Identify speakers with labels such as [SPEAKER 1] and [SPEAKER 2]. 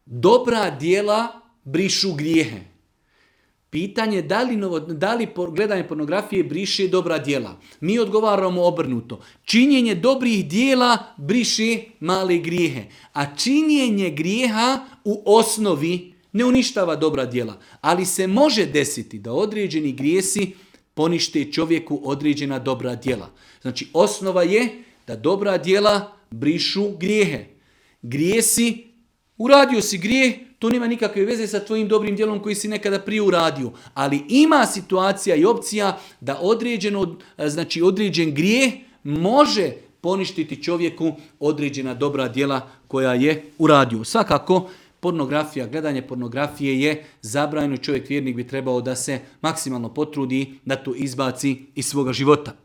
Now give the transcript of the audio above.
[SPEAKER 1] dobra djela brišu grijehe. Pitanje da li gledanje pornografije briše dobra djela. Mi odgovaramo obrnuto. Činjenje dobrih djela briše male grijehe. A činjenje grijeha u osnovi ne uništava dobra djela. Ali se može desiti da određeni grijesi ponište čovjeku određena dobra djela. Znači osnova je da dobra djela brišu grijehe. Grijesi, uradio si grijeh, to nema nikakve veze sa tvojim dobrim djelom koji si nekada prije uradio. Ali ima situacija i opcija da određen grijeh može poništiti čovjeku određena dobra djela koja je uradio. Svakako, pornografija, gledanje pornografije je zabranjeno. Čovjek vjernik bi trebao da se maksimalno potrudi da to izbaci iz svoga života.